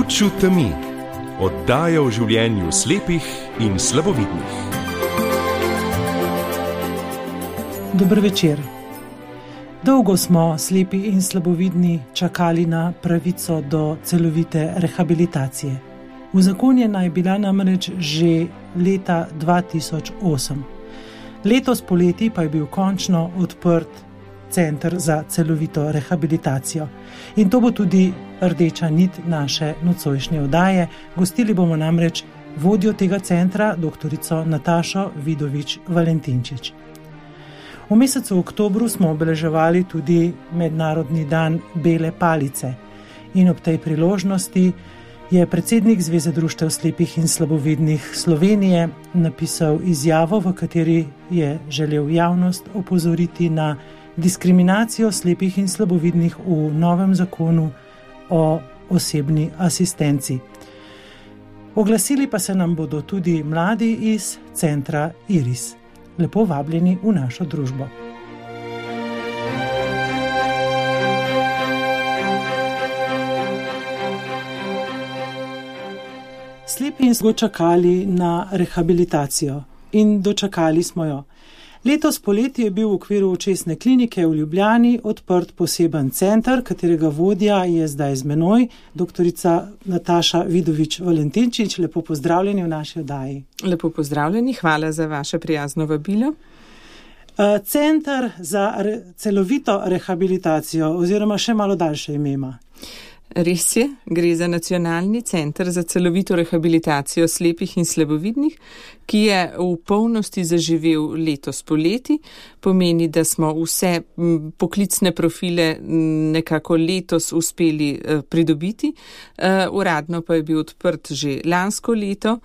Luč v temi. Oddaja o življenju slepih in slabovidnih. Dober večer. Dolgo smo slepi in slabovidni čakali na pravico do celovite rehabilitacije. Uzakonjena je bila namreč že leta 2008. Letos poleti pa je bil končno odprt Center za celovito rehabilitacijo. In to bo tudi rdeča nit naše nocojšnje oddaje. Gostili bomo namreč vodjo tega centra, doktorico Natašo Vidovič Valentinčič. V mesecu oktobru smo obeleževali tudi Mednarodni dan bele palice in ob tej priložnosti je predsednik Zveze društev slepih in slabovidnih Slovenije napisal izjavo, v kateri je želel javnost opozoriti na diskriminacijo slepih in slabovidnih v novem zakonu o osebni asistenci. Oglasili pa se nam bodo tudi mladi iz centra Iris. Lepo vabljeni v našo družbo. Slepi smo čakali na rehabilitacijo in dočakali smo jo. Letos poleti je bil v okviru očesne klinike v Ljubljani odprt poseben center, katerega vodja je zdaj z menoj, doktorica Nataša Vidovič Valentinčič. Lepo pozdravljeni v naši oddaji. Lepo pozdravljeni, hvala za vaše prijazno vabilo. Center za celovito rehabilitacijo oziroma še malo daljše ime ima. Res je, gre za Nacionalni center za celovito rehabilitacijo slepih in slabovidnih, ki je v polnosti zaživel letos poleti. Pomeni, da smo vse poklicne profile nekako letos uspeli pridobiti. Uradno pa je bil odprt že lansko leto,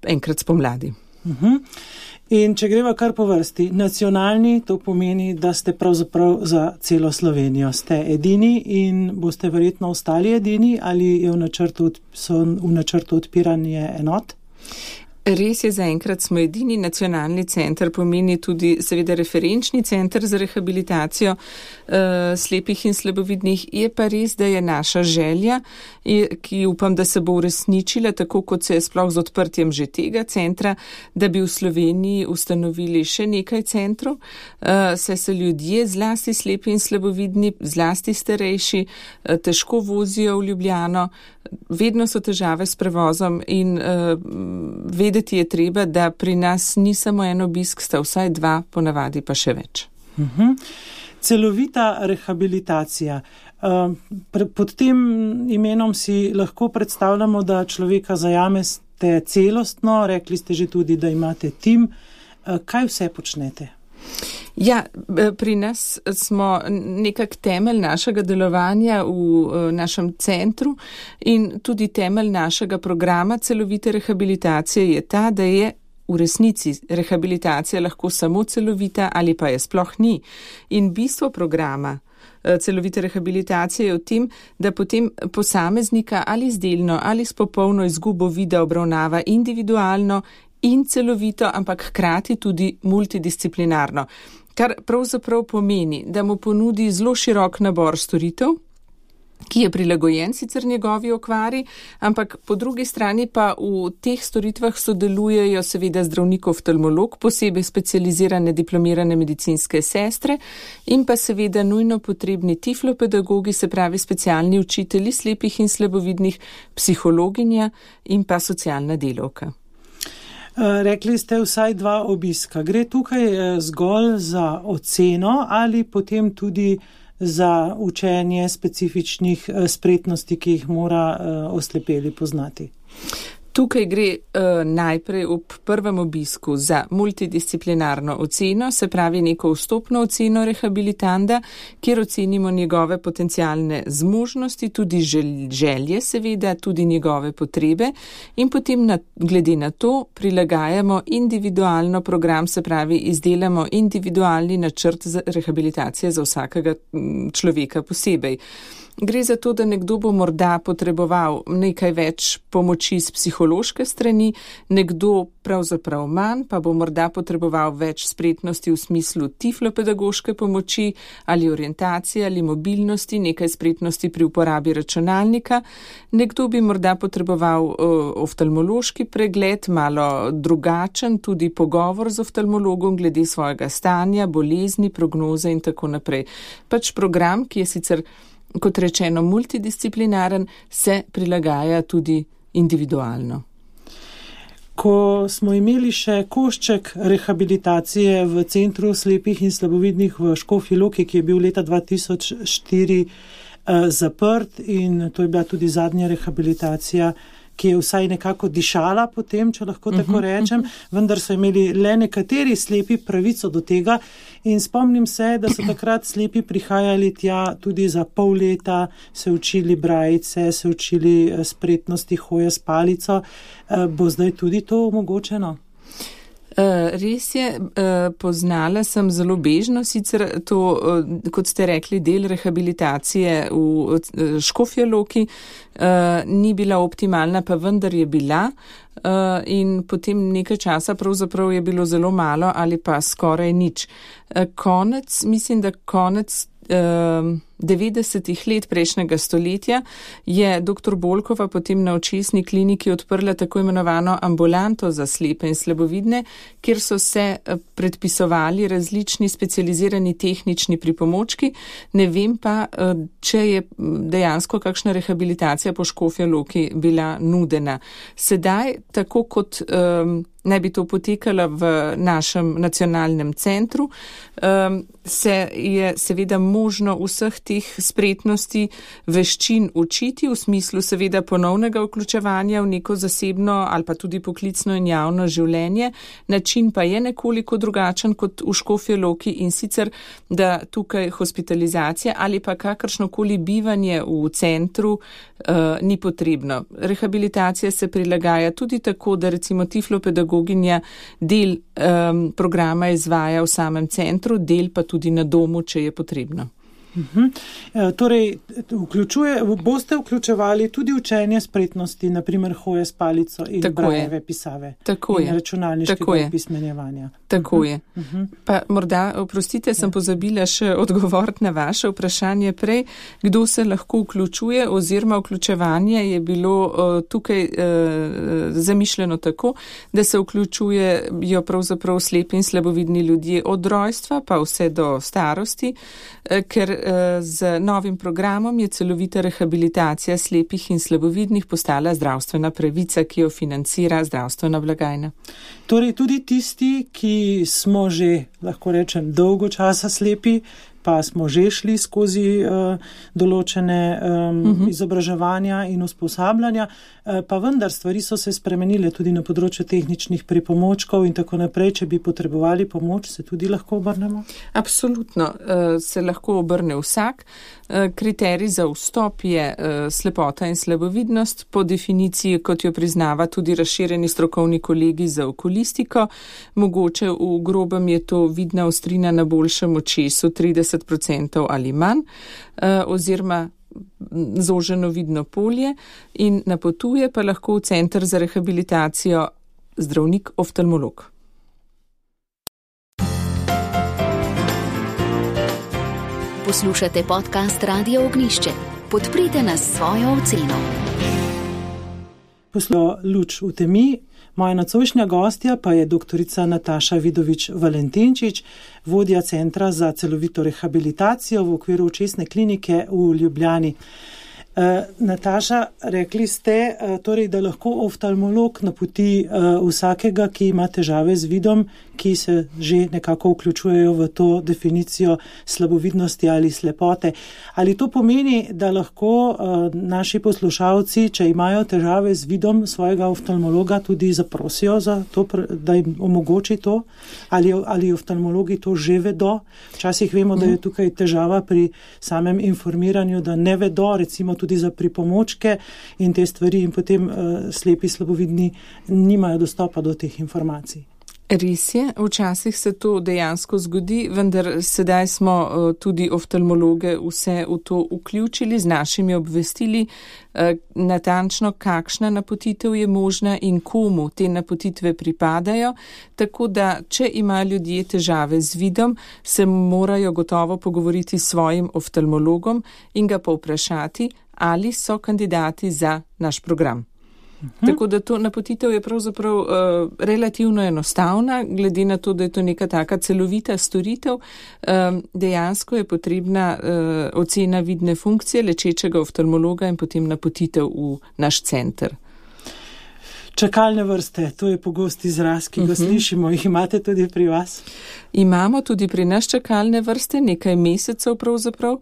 enkrat spomladi. In če greva kar po vrsti, nacionalni, to pomeni, da ste pravzaprav za celo Slovenijo. Ste edini in boste verjetno ostali edini ali je v načrtu odpiranje enot? Res je, zaenkrat smo edini. Nacionalni center pomeni tudi seveda referenčni center za rehabilitacijo slepih in slabovidnih. Je pa res, da je naša želja, ki upam, da se bo uresničila, tako kot se je sploh z odprtjem že tega centra, da bi v Sloveniji ustanovili še nekaj centrov, saj se ljudje, zlasti slepi in slabovidni, zlasti starejši, težko vozijo v Ljubljano, vedno so težave s prevozom in vedeti je treba, da pri nas ni samo en obisk, sta vsaj dva, ponavadi pa še več. Celovita rehabilitacija. Pod tem imenom si lahko predstavljamo, da človeka zajamete celostno, rekli ste že tudi, da imate tim. Kaj vse počnete? Ja, pri nas smo nekak temelj našega delovanja v našem centru in tudi temelj našega programa celovite rehabilitacije je ta, da je v resnici rehabilitacija lahko samo celovita ali pa je sploh ni. In bistvo programa celovite rehabilitacije je v tem, da potem posameznika ali z delno ali s popolno izgubo vida obravnava individualno in celovito, ampak hkrati tudi multidisciplinarno. Kar pravzaprav pomeni, da mu ponudi zelo širok nabor storitev, ki je prilagojen sicer njegovi okvari, ampak po drugi strani pa v teh storitvah sodelujejo seveda zdravnik oftalmolog, posebej specializirane diplomirane medicinske sestre in pa seveda nujno potrebni tiflopedagogi, se pravi specialni učitelji slepih in slabovidnih, psihologinja in pa socialna delavka. Rekli ste vsaj 2 obiska. Gre tukaj zgolj za oceno ali potem tudi za učenje specifičnih spretnosti, ki jih mora oslepeli poznati? Tukaj gre najprej ob prvem obisku za multidisciplinarno oceno, se pravi neko vstopno oceno rehabilitanda, kjer ocenimo njegove potencialne zmožnosti, tudi želje seveda, tudi njegove potrebe in potem glede na to prilagajamo individualno program, se pravi izdelamo individualni načrt za rehabilitacije za vsakega človeka posebej. Gre za to, da nekdo bo morda potreboval nekaj več pomoči s psihologijo, psihološke strani, nekdo pravzaprav manj, pa bo morda potreboval več spretnosti v smislu tiflopedagoške pomoči ali orientacije ali mobilnosti, nekaj spretnosti pri uporabi računalnika. Nekdo bi morda potreboval oftalmološki pregled, malo drugačen, tudi pogovor z oftalmologom glede svojega stanja, bolezni, prognoze in tako naprej. Pač program, ki je sicer, kot rečeno, multidisciplinaren, se prilagaja tudi individualno. Ko smo imeli še košček rehabilitacije v Centru slepih in slabovidnih v Škofji Loki, ki je bil leta 2004 zaprt, in to je bila tudi zadnja rehabilitacija, ki je vsaj nekako dišala potem, če lahko tako rečem, vendar so imeli le nekateri slepi pravico do tega in spomnim se, da so takrat slepi prihajali tja tudi za pol leta, se učili brajice, se učili spretnosti hoje s palico. Bo zdaj tudi to omogočeno? Res je, poznala sem zelo bežno sicer to, kot ste rekli, del rehabilitacije v Škofji Loki, ni bila optimalna, pa vendar je bila, in potem nekaj časa pravzaprav je bilo zelo malo ali pa skoraj nič. Mislim, da konec 90-ih let prejšnjega stoletja je dr. Bolkova potem na očesni kliniki odprla tako imenovano ambulanto za slepe in slabovidne, kjer so se predpisovali različni specializirani tehnični pripomočki. Ne vem pa, če je dejansko kakšna rehabilitacija po Škofji Loki bila nudena. Sedaj, tako kot naj bi to potekalo v našem nacionalnem centru, se je seveda možno vseh teh spretnosti, veščin učiti v smislu seveda ponovnega vključevanja v neko zasebno ali pa tudi poklicno in javno življenje. Način pa je nekoliko drugačen kot v Škofji Loki, in sicer, da tukaj hospitalizacija ali pa kakršnokoli bivanje v centru ni potrebno. Rehabilitacija se prilagaja tudi tako, da recimo tiflopedagoginja del programa izvaja v samem centru, del pa tudi na domu, če je potrebno. Torej, boste vključevali tudi učenje spretnosti, naprimer hoje s palico in brajeve pisave in računalniškega opismenjevanja. Tako je. Pa morda, oprostite, sem pozabila še odgovoriti na vaše vprašanje prej, kdo se lahko vključuje, oziroma vključevanje je bilo tukaj zamišljeno tako, da se vključujejo pravzaprav slepi in slabovidni ljudje od rojstva pa vse do starosti, ker z novim programom je celovita rehabilitacija slepih in slabovidnih postala zdravstvena pravica, ki jo financira zdravstvena blagajna. Torej tudi tisti, ki smo že, lahko rečem, dolgo časa slepi, pa smo že šli skozi določene izobraževanja in usposabljanja, pa vendar stvari so se spremenile tudi na področju tehničnih pripomočkov in tako naprej. Če bi potrebovali pomoč, se tudi lahko obrnemo? Absolutno, se lahko obrne vsak. Kriterij za vstop je slepota in slabovidnost, po definiciji, kot jo priznava tudi razširjeni strokovni kolegi za okulistiko. Mogoče v grobem je to vidna ostrina na boljšem očesu 30% ali manj, oziroma zoženo vidno polje, in napotuje pa lahko v center za rehabilitacijo zdravnik oftalmolog. Poslušate podcast Radio Ognjišče. Podprite nas s svojo oceno. Poslušamo Luč v temi. Moja nocojšnja gostja pa je doktorica Nataša Vidovič-Valentinčič, vodja Centra za celovito rehabilitacijo v okviru očesne klinike v Ljubljani. Nataša, rekli ste, torej, da lahko oftalmolog napoti vsakega, ki ima težave z vidom, ki se že nekako vključujejo v to definicijo slabovidnosti ali slepote. Ali to pomeni, da lahko naši poslušalci, če imajo težave z vidom, svojega oftalmologa tudi zaprosijo za to, da jim omogoči to? Ali oftalmologi to že vedo? Včasih vemo, da je tukaj težava pri samem informiranju, da ne vedo, recimo tudi za pripomočke in te stvari, in potem slepi slabovidni nimajo dostopa do teh informacij. Res je, včasih se to dejansko zgodi, vendar sedaj smo tudi oftalmologe vse v to vključili z našimi obvestili, natančno kakšna napotitev je možna in komu te napotitve pripadajo, tako da če imajo ljudje težave z vidom, se morajo gotovo pogovoriti s svojim oftalmologom in ga povprašati, ali so kandidati za naš program. Tako da to napotitev je pravzaprav relativno enostavna, glede na to, da je to neka taka celovita storitev. Dejansko je potrebna ocena vidne funkcije lečečega oftalmologa in potem napotitev v naš center. Čakalne vrste, to je pogost izraz, ki ga slišimo. Jih imate tudi pri vas? Imamo tudi pri nas čakalne vrste, nekaj mesecev pravzaprav.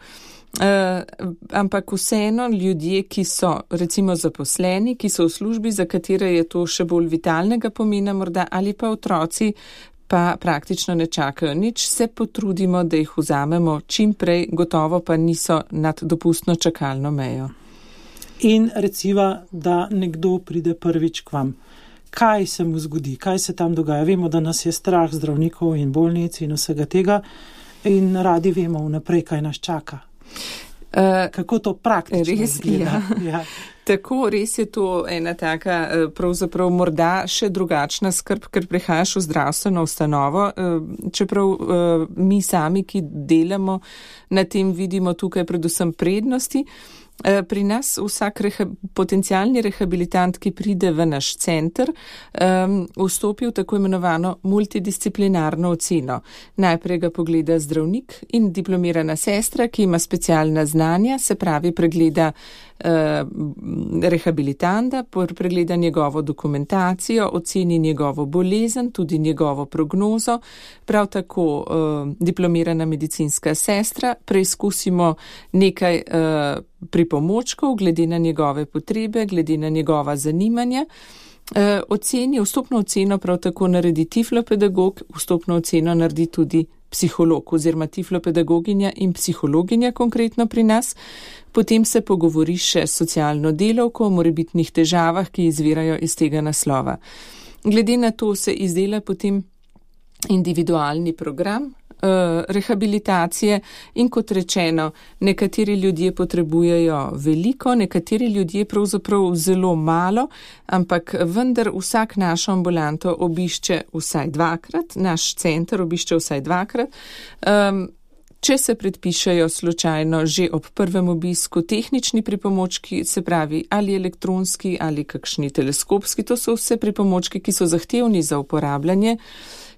Ampak vseeno ljudje, ki so recimo zaposleni, ki so v službi, za katere je to še bolj vitalnega pomena morda, ali pa otroci pa praktično ne čakajo nič, se potrudimo, da jih vzamemo čim prej, gotovo pa niso nad dopustno čakalno mejo. In recimo, da nekdo pride prvič k vam. Kaj se mu zgodi? Kaj se tam dogaja? Vemo, da nas je strah zdravnikov in bolnic in vsega tega in radi vemo vnaprej, kaj nas čaka. Kako to praktično izgleda? Ja. Tako, res je to ena taka, pravzaprav morda še drugačna skrb, ker prihajaš v zdravstveno ustanovo, čeprav mi sami, ki delamo na tem, vidimo tukaj predvsem prednosti. Pri nas vsak potencialni rehabilitant, ki pride v naš center, vstopi v tako imenovano multidisciplinarno oceno. Najprej ga pogleda zdravnik in diplomirana sestra, ki ima specialna znanja, se pravi pregleda rehabilitanta, pregleda njegovo dokumentacijo, oceni njegovo bolezen, tudi njegovo prognozo, prav tako diplomirana medicinska sestra, preizkusimo nekaj pripomočkov glede na njegove potrebe, glede na njegova zanimanja. Vstopno oceno prav tako naredi tiflopedagog, vstopno oceno naredi tudi psiholog oziroma tiflopedagoginja in psihologinja konkretno pri nas. Potem se pogovori še s socialno delavko o morebitnih težavah, ki izvirajo iz tega naslova. Glede na to se izdela potem individualni program rehabilitacije in kot rečeno, nekateri ljudje potrebujejo veliko, nekateri ljudje pravzaprav zelo malo, ampak vendar vsak našo ambulanto obišče vsaj dvakrat, naš center obišče vsaj dvakrat. Če se predpišejo slučajno že ob prvem obisku tehnični pripomočki, se pravi ali elektronski ali kakšni teleskopski, to so vse pripomočki, ki so zahtevni za uporabljanje,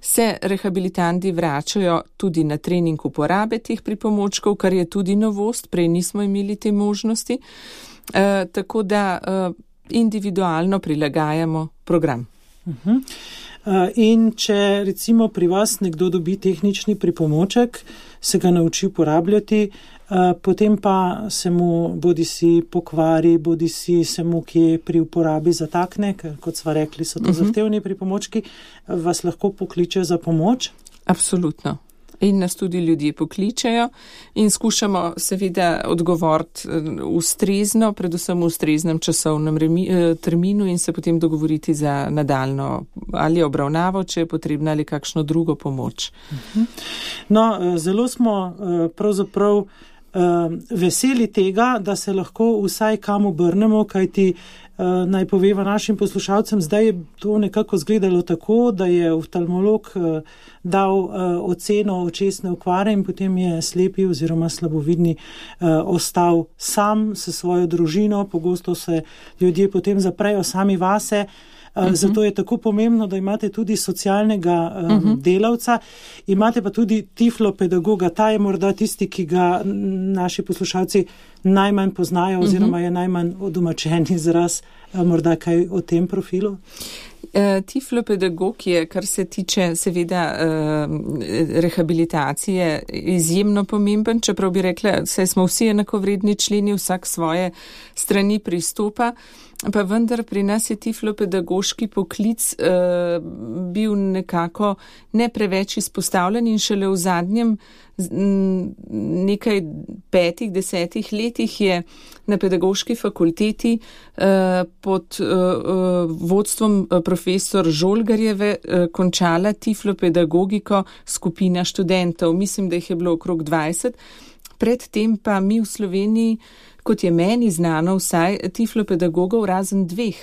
se rehabilitanti vračajo tudi na trening uporabe teh pripomočkov, kar je tudi novost, prej nismo imeli te možnosti, tako da individualno prilagajamo program. In če recimo pri vas nekdo dobi tehnični pripomoček, se ga nauči uporabljati, potem pa se mu bodisi pokvari, bodisi se mu kje pri uporabi zatakne, ker kot sva rekli, so to zahtevni pripomočki, vas lahko pokliče za pomoč? Absolutno. In nas tudi ljudje pokličejo in skušamo seveda odgovoriti ustrezno, predvsem v ustreznem časovnem terminu in se potem dogovoriti za nadaljno ali obravnavo, če je potrebna ali kakšno drugo pomoč. No, zelo smo pravzaprav veseli tega, da se lahko vsaj kam obrnemo, kajti naj poveva našim poslušalcem, zdaj je to nekako zgledalo tako, da je oftalmolog dal oceno očesne okvare in potem je slepi oziroma slabovidni ostal sam s svojo družino. Pogosto se ljudje potem zaprejo sami vase. Zato je tako pomembno, da imate tudi socialnega delavca, imate pa tudi tiflopedagoga. Ta je morda tisti, ki ga naši poslušalci najmanj poznajo oziroma je najmanj odomačen izraz. Morda kaj o tem profilu? Tiflopedagog je, kar se tiče seveda rehabilitacije, izjemno pomemben, čeprav bi rekla, saj smo vsi enakovredni členi, vsak svoje strani pristopa, pa vendar pri nas je tiflopedagoški poklic bil nekako ne preveč izpostavljen in šele v zadnjem nekaj 5-10 letih je na pedagoški fakulteti pod vodstvom profesor Žolgarjeve končala tiflopedagogiko skupina študentov. Mislim, da jih je bilo okrog 20. Predtem pa mi v Sloveniji, kot je meni znano, vsaj tiflopedagogov razen 2,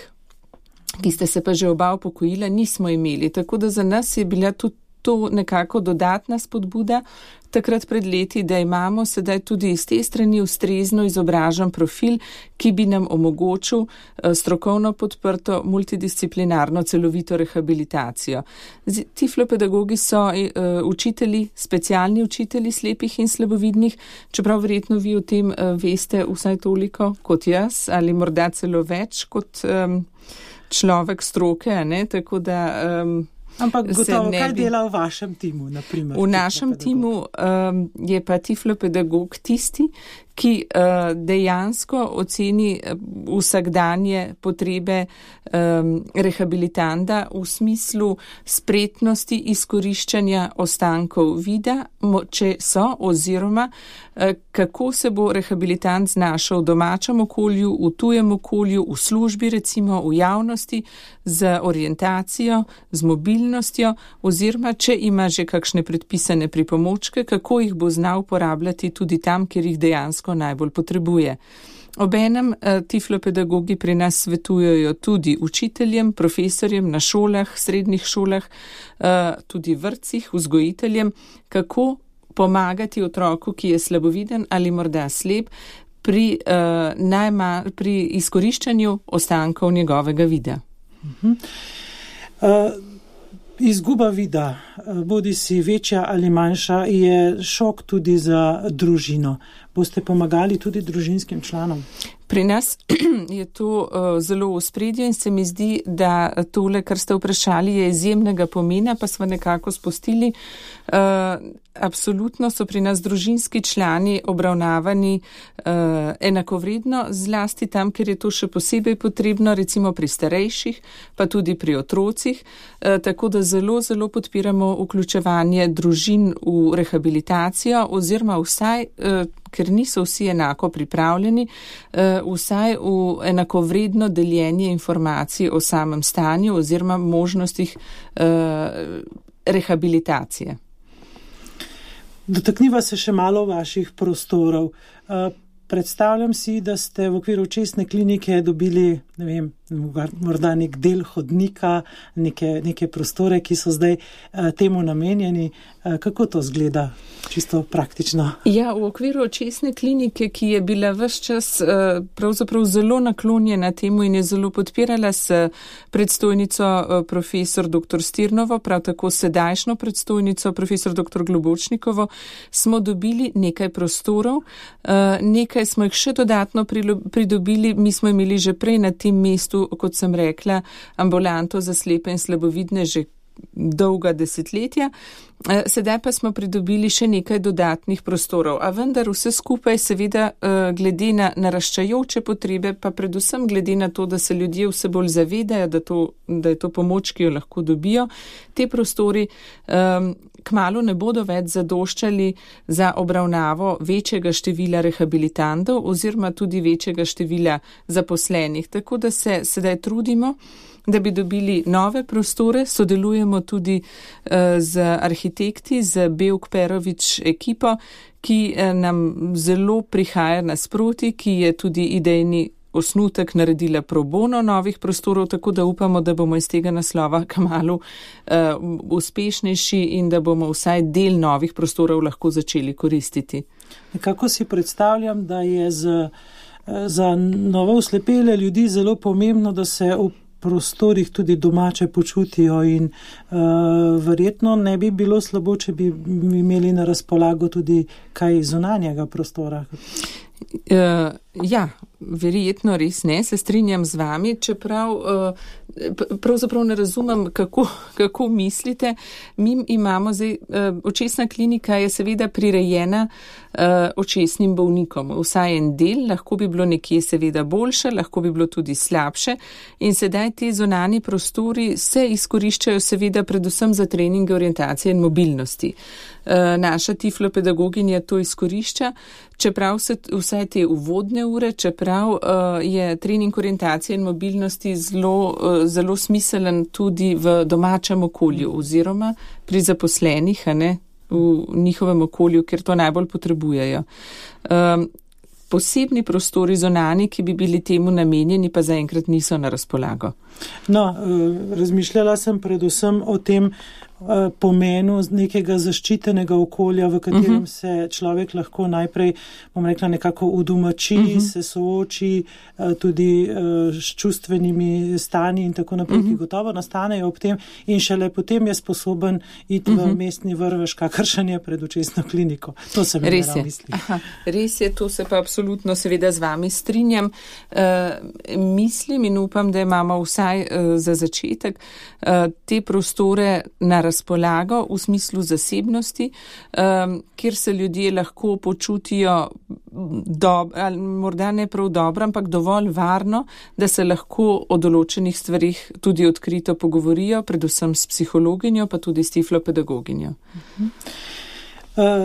ki ste se pa že oba upokojila, nismo imeli. Tako da za nas je bila tudi to nekako dodatna spodbuda takrat pred leti, da imamo sedaj tudi iz te strani ustrezno izobražen profil, ki bi nam omogočil strokovno podprto multidisciplinarno celovito rehabilitacijo. Tiflopedagogi so učitelji, specialni učitelji slepih in slabovidnih, čeprav verjetno vi o tem veste vsaj toliko kot jaz ali morda celo več kot človek stroke, ne? Tako da ampak gotovo, kaj dela v vašem timu, naprimer? V našem timu je pa tiflopedagog tisti, ki dejansko oceni vsakdanje potrebe rehabilitanta v smislu spretnosti izkoriščanja ostankov vida, če so, oziroma kako se bo rehabilitant znašel v domačem okolju, v tujem okolju, v službi recimo, v javnosti, z orientacijo, z mobilnostjo, oziroma če ima že kakšne predpisane pripomočke, kako jih bo znal uporabljati tudi tam, kjer jih dejansko najbolj potrebuje. Obenem tiflopedagogi pri nas svetujejo tudi učiteljem, profesorjem na šolah, srednjih šolah, tudi vrtcih, vzgojiteljem, kako pomagati otroku, ki je slaboviden ali morda slep, pri izkoriščanju ostankov njegovega vida. Izguba vida, bodi si večja ali manjša, je šok tudi za družino. Boste pomagali tudi družinskim članom? Pri nas je to zelo v ospredju in se mi zdi, da tole, kar ste vprašali, je izjemnega pomena, pa smo nekako spustili. Absolutno so pri nas družinski člani obravnavani enakovredno, zlasti tam, ker je to še posebej potrebno, recimo pri starejših, pa tudi pri otrocih, tako da zelo, zelo podpiramo vključevanje družin v rehabilitacijo oziroma vsaj, ker niso vsi enako pripravljeni, vsaj v enakovredno deljenje informacij o samem stanju oziroma možnostih rehabilitacije. Dotakniva se še malo vaših prostorov. Predstavljam si, da ste v okviru očesne klinike dobili, ne vem, morda nek del hodnika, neke prostore, ki so zdaj temu namenjeni. Kako to zgleda čisto praktično? Ja, v okviru očesne klinike, ki je bila ves čas pravzaprav zelo naklonjena temu in je zelo podpirala s predstojnico profesor dr. Stirnovo, prav tako sedajšnjo predstojnico profesor dr. Globočnikovo, smo dobili nekaj prostorov, nekaj smo jih še dodatno pridobili. Mi smo imeli že prej na tem mestu, kot sem rekla, ambulanto za slepe in slabovidne že dolga desetletja. Sedaj pa smo pridobili še nekaj dodatnih prostorov, a vendar vse skupaj seveda glede na naraščajoče potrebe, pa predvsem glede na to, da se ljudje vse bolj zavedajo, da je to pomoč, ki jo lahko dobijo, te prostori kmalu ne bodo več zadoščali za obravnavo večjega števila rehabilitantov oziroma tudi večjega števila zaposlenih. Tako da se sedaj trudimo, da bi dobili nove prostore, sodelujemo tudi z arhitekti, z Bevk Perovič ekipo, ki nam zelo prihaja nasproti, ki je tudi idejni osnutek naredila pro bono novih prostorov, tako da upamo, da bomo iz tega naslova kmalu uspešnejši in da bomo vsaj del novih prostorov lahko začeli koristiti. Nekako si predstavljam, da je za novo oslepele ljudi zelo pomembno, da se v prostorih tudi domače počutijo in verjetno ne bi bilo slabo, če bi imeli na razpolago tudi kaj zunanjega prostora. Ja, Verjetno res ne, se strinjam z vami, čeprav pravzaprav ne razumem, kako mislite. Mi imamo zdaj, očesna klinika je seveda prirejena očesnim bolnikom. Vsaj en del, lahko bi bilo nekje seveda boljše, lahko bi bilo tudi slabše in sedaj ti zunanji prostori se izkoriščajo seveda predvsem za treninge orientacije in mobilnosti. Naša tiflopedagoginja to izkorišča, čeprav se vsaj te uvodne ure, čeprav je trening orientacije in mobilnosti zelo smiselen tudi v domačem okolju oziroma pri zaposlenih, v njihovem okolju, ker to najbolj potrebujejo. Posebni prostori zunani, ki bi bili temu namenjeni, pa zaenkrat niso na razpolago. No, razmišljala sem predvsem o tem pomenu nekega zaščitenega okolja, v katerem se človek lahko najprej, bom rekla, nekako udomači, se sooči tudi s čustvenimi stanji in tako naprej, ki gotovo nastanejo ob tem in šele potem je sposoben iti v mestni vrvež, kakršen je pred očesno kliniko. To se mi misli. Res je, to se pa absolutno seveda z vami strinjam. Mislim in upam, da imamo vsaj za začetek te prostore na razpolago v smislu zasebnosti, kjer se ljudje lahko počutijo ali morda ne prav dobro, ampak dovolj varno, da se lahko o določenih stvarih tudi odkrito pogovorijo, predvsem s psihologinjo, pa tudi s tiflopedagoginjo.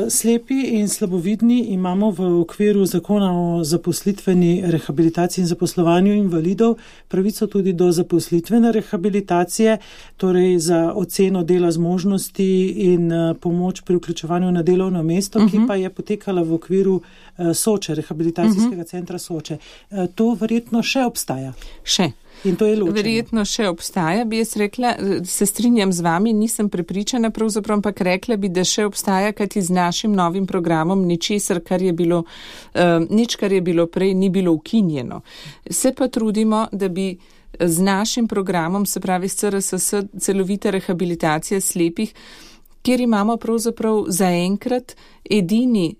Slepi in slabovidni imamo v okviru zakona o zaposlitveni rehabilitaciji in zaposlovanju invalidov pravico tudi do zaposlitvene rehabilitacije, torej za oceno dela zmožnosti in pomoč pri vključevanju na delovno mesto, ki pa je potekala v okviru Soče, rehabilitacijskega centra Soče. To verjetno še obstaja. Še. In to je ločeno. Verjetno še obstaja, bi jaz rekla, se strinjam z vami, nisem prepričana pravzaprav, ampak rekla bi, da še obstaja, kajti z našim novim programom ničesar, kar je bilo prej, ni bilo ukinjeno. Se pa trudimo, da bi z našim programom, se pravi s CRSS, celovita rehabilitacija slepih, kjer imamo pravzaprav zaenkrat edini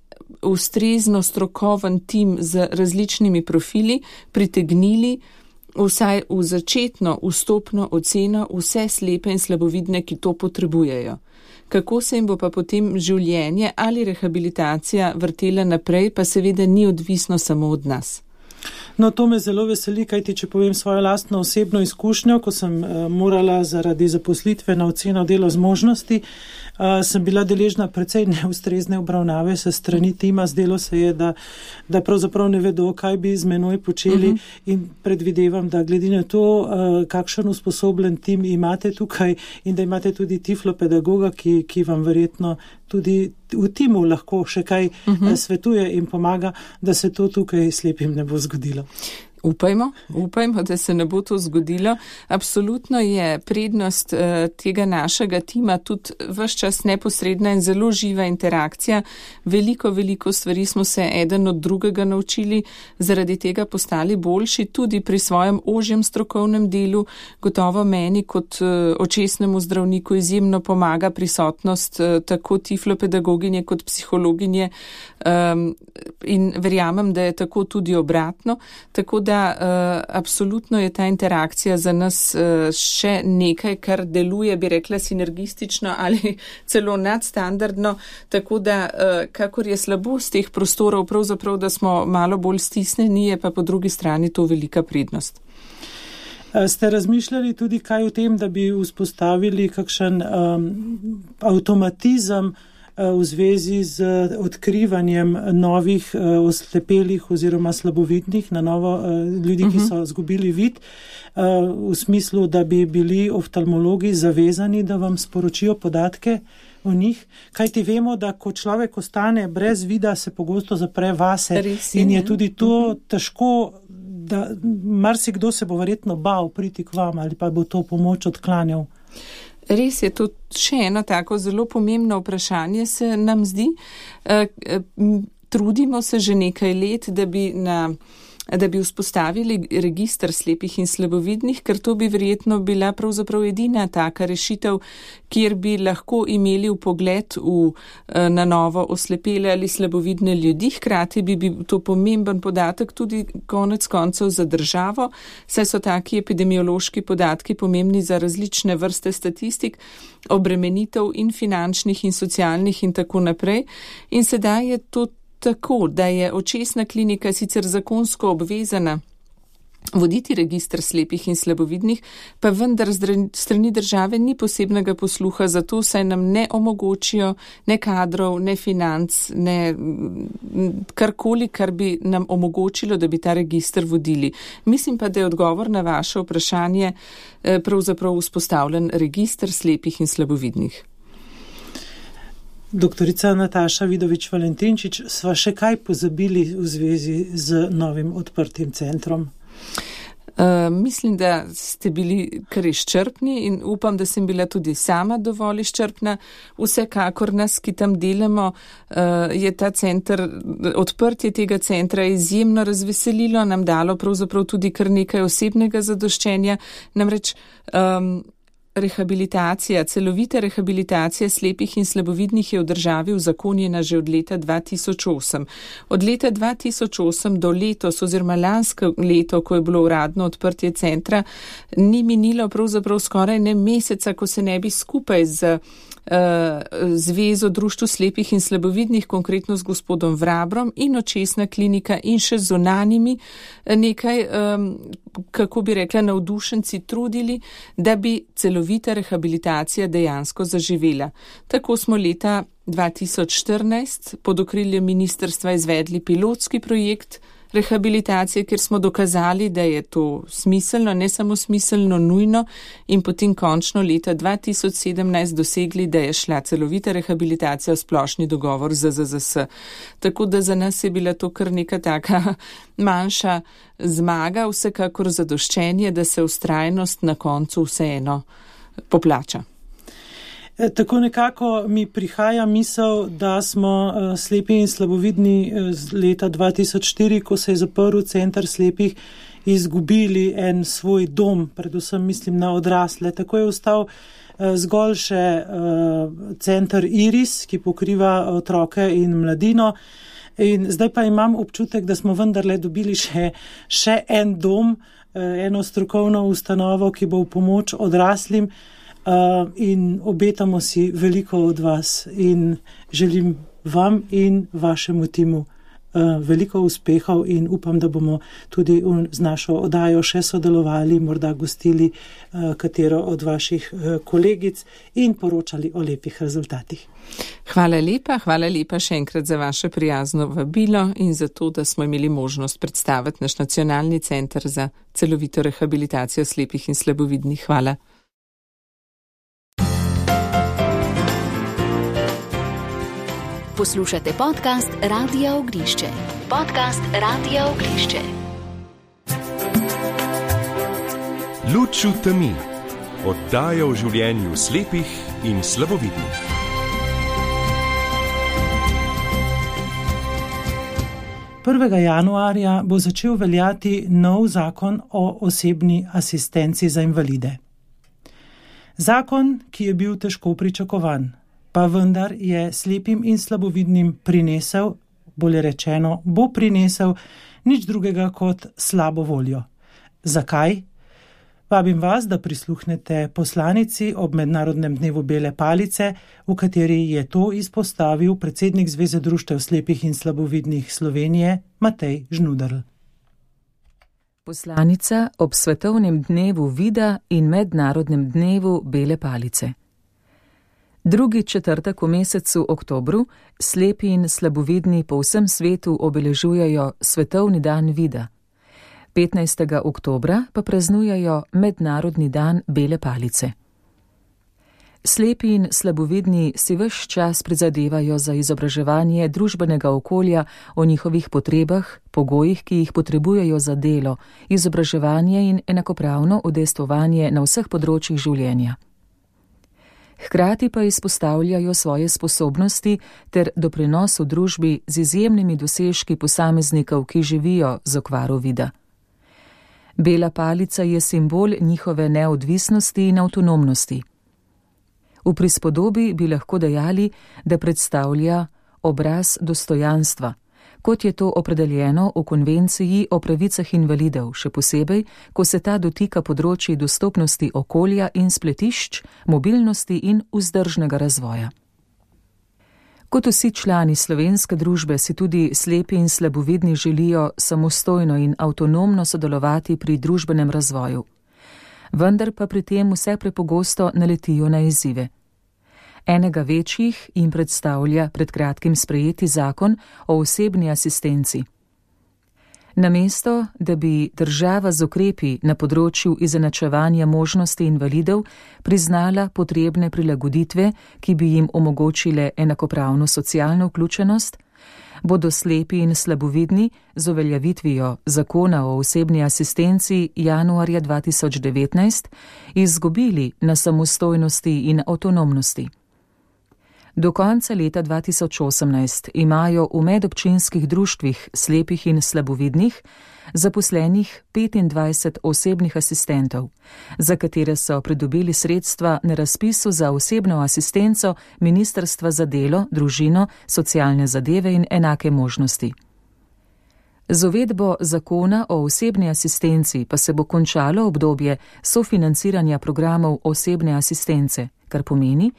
ustrezno strokoven tim z različnimi profili, pritegnili vsaj v začetno vstopno oceno vse slepe in slabovidne, ki to potrebujejo. Kako se jim bo pa potem življenje ali rehabilitacija vrtela naprej, pa seveda ni odvisno samo od nas. No, to me zelo veseli, kajti če povem svojo lastno osebno izkušnjo, ko sem morala zaradi zaposlitve na oceno delo zmožnosti, sem bila deležna precej neustrezne obravnave se strani tima. Zdelo se je, da pravzaprav ne vedo, kaj bi z menoj počeli in predvidevam, da glede na to, kakšen usposobljen tim imate tukaj in da imate tudi tiflopedagoga, ki vam verjetno tudi v timu lahko še kaj svetuje in pomaga, da se to tukaj slepim ne bo zgodilo. Upajmo, da se ne bo to zgodilo. Absolutno je prednost tega našega tima tudi ves čas neposredna in zelo živa interakcija. Veliko stvari smo se eden od drugega naučili, zaradi tega postali boljši tudi pri svojem ožjem strokovnem delu. Gotovo meni kot očesnemu zdravniku izjemno pomaga prisotnost tako tiflopedagoginje kot psihologinje in verjamem, da je tako tudi obratno. Tako da absolutno je ta interakcija za nas še nekaj, kar deluje, bi rekla, sinergistično ali celo nadstandardno, tako da kakor je slabost teh prostorov, pravzaprav, da smo malo bolj stisnjeni, je pa po drugi strani to velika prednost. Ste razmišljali tudi kaj o tem, da bi vzpostavili kakšen avtomatizem v zvezi z odkrivanjem novih oslepelih oziroma slabovidnih, na novo ljudi, ki so izgubili vid, v smislu, da bi bili oftalmologi zavezani, da vam sporočijo podatke o njih. Kajti vemo, da ko človek ostane brez vida, se pogosto zapre vase in je tudi to težko, da marsikdo se bo verjetno bal priti k vam ali pa bo to pomoč odklanjal. Res je, to še eno tako zelo pomembno vprašanje se nam zdi. Trudimo se že nekaj let, da bi na da bi vzpostavili register slepih in slabovidnih, ker to bi verjetno bila pravzaprav edina taka rešitev, kjer bi lahko imeli vpogled na novo oslepele ali slabovidne ljudi. Hkrati bi bil to pomemben podatek tudi konec koncev za državo, saj so taki epidemiološki podatki pomembni za različne vrste statistik, obremenitev in finančnih in socialnih in tako naprej. In sedaj je to tako, da je očesna klinika sicer zakonsko obvezana voditi register slepih in slabovidnih, pa vendar strani države ni posebnega posluha za to, saj nam ne omogočijo ne kadrov, ne financ, ne karkoli, kar bi nam omogočilo, da bi ta register vodili. Mislim pa, da je odgovor na vaše vprašanje pravzaprav vzpostavljen register slepih in slabovidnih. Doktorica Nataša Vidovič-Valentinčič, sva še kaj pozabili v zvezi z novim odprtim centrom? Mislim, da ste bili kar izčrpni in upam, da sem bila tudi sama dovolj izčrpna. Vsekakor nas, ki tam delamo, je ta center, odprtje tega centra izjemno razveselilo, nam dalo pravzaprav tudi kar nekaj osebnega zadoščenja. Namreč rehabilitacija, celovita rehabilitacija slepih in slabovidnih je v državi uzakonjena že od leta 2008. Od leta 2008 do letos oziroma lansko leto, ko je bilo uradno odprtje centra, ni minilo pravzaprav skoraj ne meseca, ko se ne bi skupaj z Zvezo društvu slepih in slabovidnih, konkretno z gospodom Vrabrom in očesna klinika in še zunanjimi nekaj, kako bi rekla, navdušenci trudili, da bi celovita rehabilitacija dejansko zaživela. Tako smo leta 2014 pod okriljem ministrstva izvedli pilotski projekt rehabilitacije, kjer smo dokazali, da je to smiselno, ne samo smiselno, nujno, in potem končno leta 2017 dosegli, da je šla celovita rehabilitacija v splošni dogovor z ZZZS. Tako da za nas je bila to kar neka taka manjša zmaga, vsekakor zadoščenje, da se vztrajnost na koncu vseeno poplača. Tako nekako mi prihaja misel, da smo slepi in slabovidni z leta 2004, ko se je zaprl center slepih, izgubili en svoj dom, predvsem mislim na odrasle. Tako je ostal zgolj še center Iris, ki pokriva otroke in mladino. In zdaj pa imam občutek, da smo vendarle dobili še en dom, eno strokovno ustanovo, ki bo v pomoč odraslim. In obetamo si veliko od vas in želim vam in vašemu timu veliko uspehov in upam, da bomo tudi z našo oddajo še sodelovali, morda gostili katero od vaših kolegic in poročali o lepih rezultatih. Hvala lepa še enkrat za vaše prijazno vabilo in za to, da smo imeli možnost predstaviti naš nacionalni center za celovito rehabilitacijo slepih in slabovidnih. Hvala. Poslušate podcast Radia Ognišče. Podcast Radia Ognišče. Luč v temi. Oddaja o življenju slepih in slabovidnih. Januarja bo začel veljati nov zakon o osebni asistenci za invalide. Zakon, ki je bil težko pričakovan, pa vendar je slepim in slabovidnim prinesel, bolje rečeno, bo prinesel nič drugega kot slabo voljo. Zakaj? Vabim vas, da prisluhnete poslanici ob Mednarodnem dnevu bele palice, v kateri je to izpostavil predsednik Zveze društev slepih in slabovidnih Slovenije, Matej Žnuderl. Poslanica ob Svetovnem dnevu vida in Mednarodnem dnevu bele palice. Drugi četrtek v mesecu oktobru slepi in slabovidni po vsem svetu obeležujejo Svetovni dan vida. 15. oktobra pa praznujejo Mednarodni dan bele palice. Slepi in slabovidni si ves čas prizadevajo za izobraževanje družbenega okolja o njihovih potrebah, pogojih, ki jih potrebujejo za delo, izobraževanje in enakopravno udejstvovanje na vseh področjih življenja. Hkrati pa izpostavljajo svoje sposobnosti ter doprinos v družbi z izjemnimi dosežki posameznikov, ki živijo z okvaro vida. Bela palica je simbol njihove neodvisnosti in avtonomnosti. V prispodobi bi lahko dejali, da predstavlja obraz dostojanstva, kot je to opredeljeno v konvenciji o pravicah invalidov, še posebej, ko se ta dotika področji dostopnosti okolja in spletišč, mobilnosti in vzdržnega razvoja. Kot vsi člani slovenske družbe si tudi slepi in slabovidni želijo samostojno in avtonomno sodelovati pri družbenem razvoju. Vendar pa pri tem vse prepogosto naletijo na izzive. Enega večjih jim predstavlja pred kratkim sprejeti zakon o osebni asistenci. Namesto, da bi država z ukrepi na področju izenačevanja možnosti invalidov priznala potrebne prilagoditve, ki bi jim omogočile enakopravno socialno vključenost, bodo slepi in slabovidni z uveljavitvijo zakona o osebni asistenci januarja 2019 izgubili na samostojnosti in avtonomnosti. Do konca leta 2018 imajo v medobčinskih društvih slepih in slabovidnih zaposlenih 25 osebnih asistentov, za katere so pridobili sredstva na razpisu za osebno asistenco Ministrstva za delo, družino, socialne zadeve in enake možnosti. Z uvedbo zakona o osebni asistenci pa se bo končalo obdobje sofinanciranja programov osebne asistence, kar pomeni,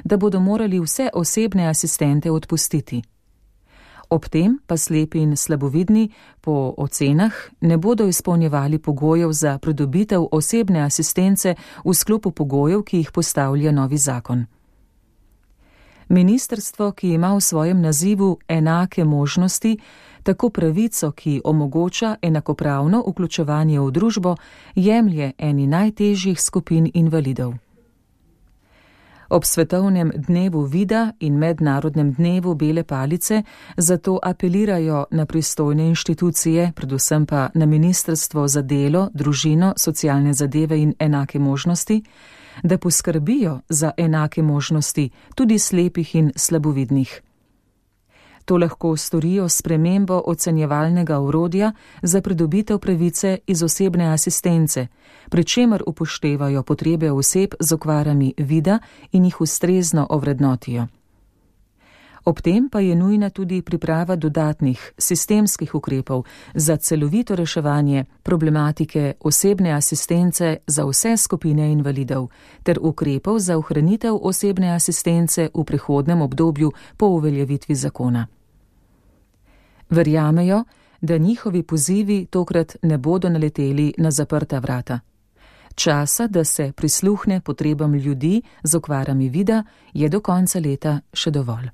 da bodo morali vse osebne asistente odpustiti. Ob tem pa slepi in slabovidni po ocenah ne bodo izpolnjevali pogojev za pridobitev osebne asistence v sklopu pogojev, ki jih postavlja novi zakon. Ministrstvo, ki ima v svojem nazivu enake možnosti, tako pravico, ki omogoča enakopravno vključevanje v družbo, jemlje eni najtežjih skupin invalidov. Ob svetovnem dnevu vida in mednarodnem dnevu bele palice zato apelirajo na pristojne inštitucije, predvsem pa na Ministrstvo za delo, družino, socialne zadeve in enake možnosti, da poskrbijo za enake možnosti tudi slepih in slabovidnih. To lahko storijo s spremembo ocenjevalnega orodja za pridobitev pravice iz osebne asistence, pri čemer upoštevajo potrebe oseb z okvarami vida in jih ustrezno ovrednotijo. Ob tem pa je nujna tudi priprava dodatnih sistemskih ukrepov za celovito reševanje problematike osebne asistence za vse skupine invalidov ter ukrepov za ohranitev osebne asistence v prihodnem obdobju po uveljavitvi zakona. Verjamejo, da njihovi pozivi tokrat ne bodo naleteli na zaprta vrata. Časa, da se prisluhne potrebam ljudi z okvarami vida, je do konca leta še dovolj.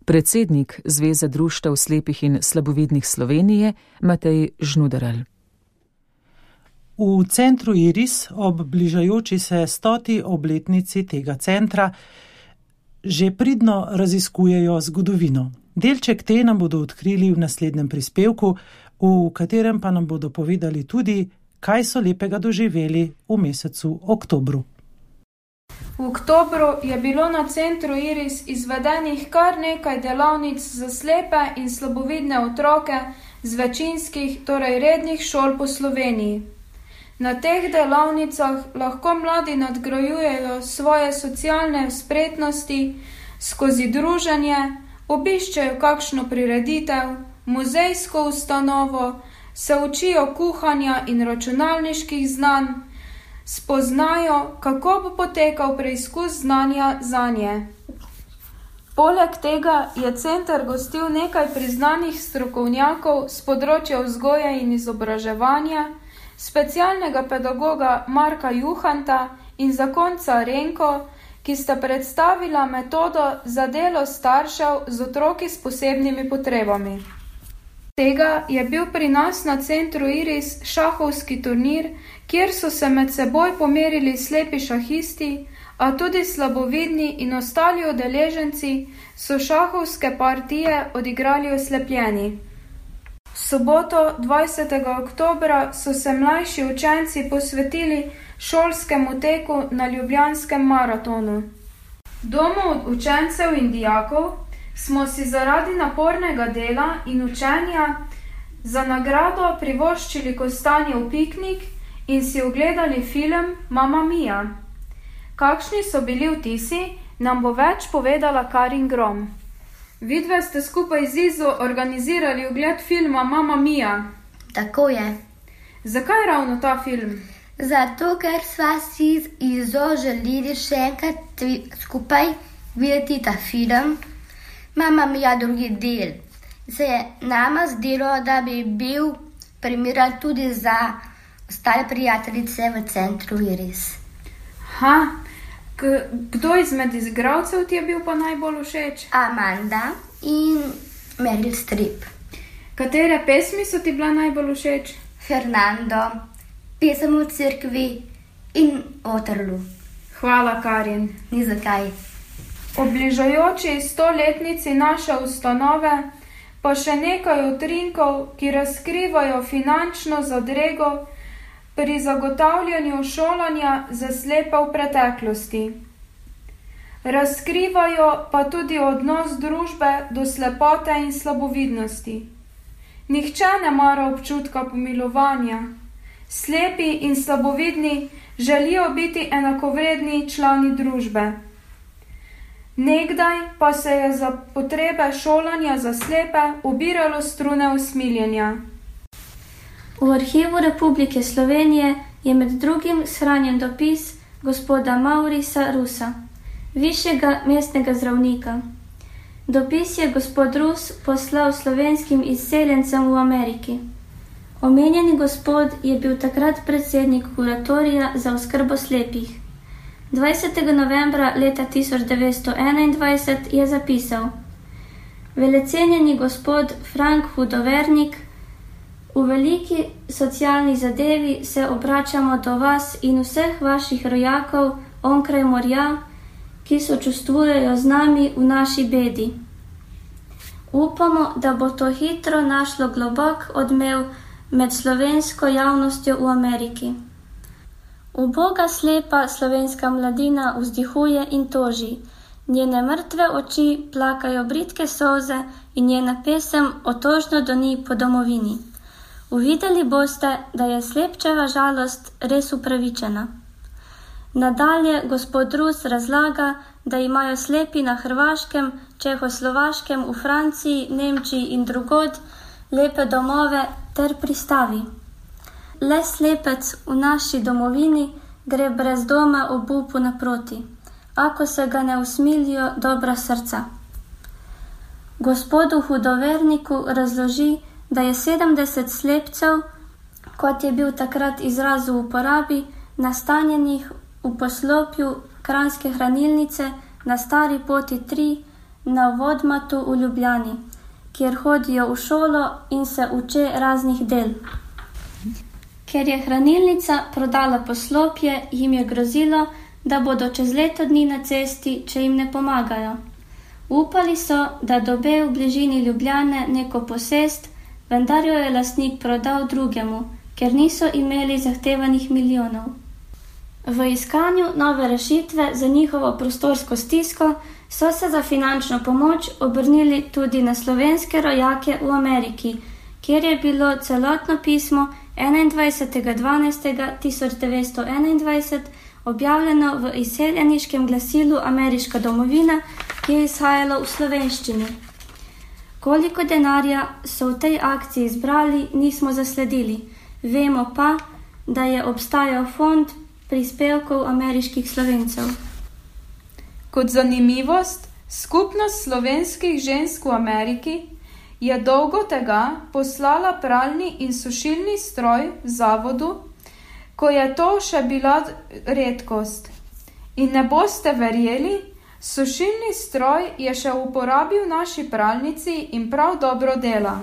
Predsednik Zveze društev slepih in slabovidnih Slovenije Matej Žnuderl. V centru Iris ob bližajoči se 100. obletnici tega centra že pridno raziskujejo zgodovino. Delček te nam bodo odkrili v naslednjem prispevku, v katerem pa nam bodo povedali tudi, kaj so lepega doživeli v mesecu oktobru. V oktobru je bilo na centru Iris izvedenih kar nekaj delavnic za slepe in slabovidne otroke z večinskih, torej rednih šol po Sloveniji. Na teh delavnicah lahko mladi nadgrajujejo svoje socialne spretnosti skozi druženje, obiščejo kakšno prireditev, muzejsko ustanovo, se učijo kuhanja in računalniških znanj, spoznajo, kako bo potekal preizkus znanja zanje. Poleg tega je center gostil nekaj priznanih strokovnjakov s področja vzgoje in izobraževanja, specialnega pedagoga Marka Juhanta in zakonca Renko, ki sta predstavila metodo za delo staršev z otroki s posebnimi potrebami. Tega je bil pri nas na centru Iris šahovski turnir, kjer so se med seboj pomerili slepi šahisti, a tudi slabovidni in ostali udeleženci so šahovske partije odigrali oslepljeni. V soboto 20. oktobra so se mlajši učenci posvetili šolskemu teku na ljubljanskem maratonu. V domu učencev in dijakov smo si zaradi napornega dela in učenja za nagrado privoščili kostanjev piknik in si ogledali film Mamma Mia. Kakšni so bili vtisi, nam bo več povedala Karin Grom. Vidve ste skupaj z Izo organizirali ogled filma Mamma Mia. Tako je. Zakaj ravno ta film? Zato, ker sva si z Izo želeli še enkrat skupaj videti ta film Mamma Mia drugi del. Se je nama zdelo, da bi bil primeren tudi za ostale prijateljice v centru Iris. Kdo izmed igralcev ti je bil pa najbolj všeč? Amanda in Meryl Streep. Katere pesmi so ti bila najbolj všeč? Fernando, Pesem v cerkvi in Waterloo. Hvala, Karin. Ni zakaj. O bližajoči 100-letnici naše ustanove pa še nekaj utrinkov, ki razkrivajo finančno zadrego pri zagotavljanju šolanja za slepe v preteklosti. Razkrivajo pa tudi odnos družbe do slepote in slabovidnosti. Nihče ne mara občutka pomilovanja. Slepi in slabovidni želijo biti enakovredni člani družbe. Nekdaj pa se je za potrebe šolanja za slepe ubiralo strune usmiljenja. V Arhivu Republike Slovenije je med drugim shranjen dopis gospoda Maurisa Rusa, višjega mestnega zdravnika. Dopis je gospod Rus poslal slovenskim izseljencem v Ameriki. Omenjeni gospod je bil takrat predsednik kuratorija za oskrbo slepih. 20. novembra leta 1921 je zapisal: Velecenjeni gospod Frank Hudovernik, v veliki socialni zadevi se obračamo do vas in vseh vaših rojakov onkraj morja, ki sočustvujejo z nami v naši bedi. Upamo, da bo to hitro našlo globok odmev med slovensko javnostjo v Ameriki. Uboga slepa slovenska mladina vzdihuje in toži, njene mrtve oči plakajo bridke solze in njena pesem otožno doni po domovini. Uvideli boste, da je slepčeva žalost res upravičena. Nadalje gospod Rus razlaga, da imajo slepi na Hrvaškem, Čehoslovaškem, v Franciji, Nemčiji in drugod lepe domove ter pristavi. Le slepec v naši domovini gre brez doma obupu naproti, ako se ga ne usmilijo dobra srca. Gospodu Hudoverniku razloži, da je 70 slepcev, kot je bil takrat izraz v uporabi, nastanjenih v poslopju Kranjske hranilnice na Stari poti 3 na Vodmatu v Ljubljani, kjer hodijo v šolo in se uče raznih del. Ker je hranilnica prodala poslopje, jim je grozilo, da bodo čez leto dni na cesti, če jim ne pomagajo. Upali so, da dobe v bližini Ljubljane neko posest, vendar jo je lastnik prodal drugemu, ker niso imeli zahtevanih milijonov. V iskanju nove rešitve za njihovo prostorsko stisko so se za finančno pomoč obrnili tudi na slovenske rojake v Ameriki, kjer je bilo celotno pismo 21.12.1921 objavljeno v izseljeniškem glasilu Ameriška domovina, ki je izhajalo v slovenščini. Koliko denarja so v tej akciji zbrali, nismo zasledili. Vemo pa, da je obstajal fond prispevkov ameriških Slovencev. Kot zanimivost, skupnost slovenskih žensk v Ameriki je dolgo tega poslala pralni in sušilni stroj zavodu, ko je to še bila redkost. In ne boste verjeli, sušilni stroj je še v uporabi v naši pralnici in prav dobro dela.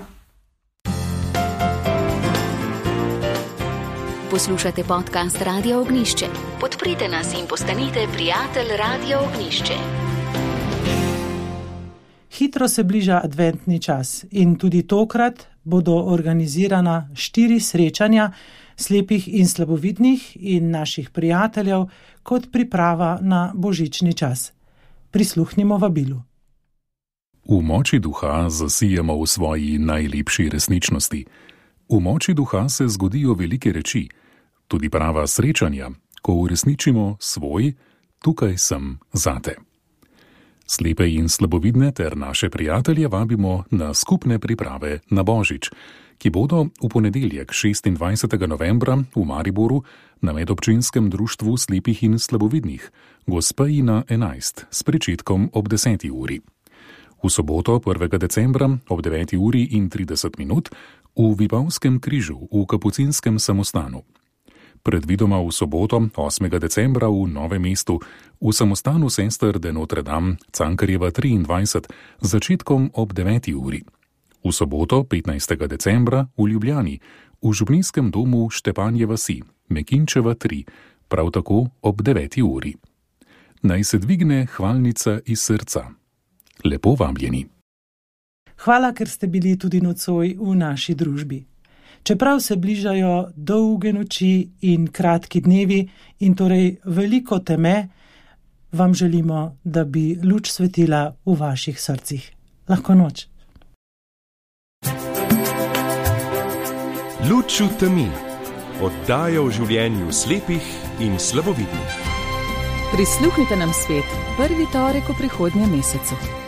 Poslušate podcast Radio Ognjišče. Podprite nas in postanite prijatelj Radio Ognjišče. Hitro se bliža adventni čas in tudi tokrat bodo organizirana 4 srečanja slepih in slabovidnih in naših prijateljev kot priprava na božični čas. Prisluhnimo vabilu. V moči duha zasijemo v svoji najlepši resničnosti. V moči duha se zgodijo velike reči, tudi prava srečanja, ko uresničimo svoj tukaj sem zate. Slepe in slabovidne ter naše prijatelje vabimo na skupne priprave na Božič, ki bodo v ponedeljek 26. novembra v Mariboru na medobčinskem društvu slepih in slabovidnih Gospejina 11 s pričetkom ob 10. uri. V soboto 1. decembra ob 9. uri in 30 minut v Vipavskem križu v Kapucinskem samostanu. Predvidoma v soboto 8. decembra v Novem mestu v samostanu sester de Notre Dame Cankarjeva 23 z začetkom ob 9. uri. V soboto 15. decembra v Ljubljani v župnijskem domu Štepanje vasi Mekinčeva 3 prav tako ob 9. uri. Naj se dvigne hvalnica iz srca. Lepo vabljeni. Hvala, ker ste bili tudi nocoj v naši družbi. Čeprav se bližajo dolge noči in kratki dnevi in torej veliko teme, vam želimo, da bi luč svetila v vaših srcih. Lahko noč. Luč v temi. Oddaja o življenju slepih in slabovidnih. Prisluhnite nam spet prvi torek v prihodnjem mesecu.